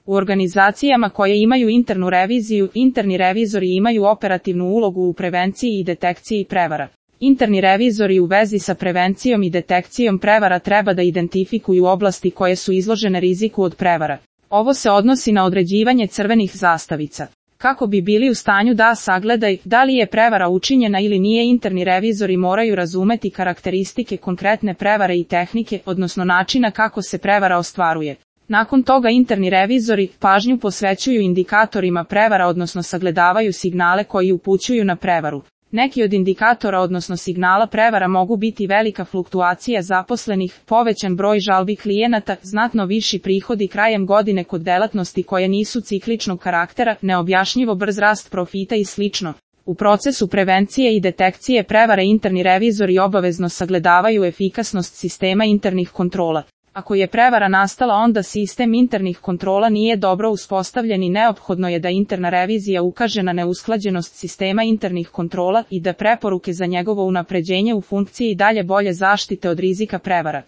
U organizacijama koje imaju internu reviziju, interni revizori imaju operativnu ulogu u prevenciji i detekciji prevara. Interni revizori u vezi sa prevencijom i detekcijom prevara treba da identifikuju oblasti koje su izložene riziku od prevara. Ovo se odnosi na određivanje crvenih zastavica. Kako bi bili u stanju da sagledaju da li je prevara učinjena ili nije, interni revizori moraju razumeti karakteristike konkretne prevare i tehnike, odnosno načina kako se prevara ostvaruje. Nakon toga interni revizori pažnju posvećuju indikatorima prevara, odnosno sagledavaju signale koji upućuju na prevaru. Neki od indikatora odnosno signala prevara mogu biti velika fluktuacija zaposlenih, povećan broj žalbi klijenata, znatno viši prihodi krajem godine kod delatnosti koje nisu cikličnog karaktera, neobjašnjivo brz rast profita i sl. U procesu prevencije i detekcije prevare interni revizori obavezno sagledavaju efikasnost sistema internih kontrola. Ako je prevara nastala, onda sistem internih kontrola nije dobro uspostavljen i neophodno je da interna revizija ukaže na neusklađenost sistema internih kontrola i da preporuke za njegovo unapređenje u funkciji dalje bolje zaštite od rizika prevara.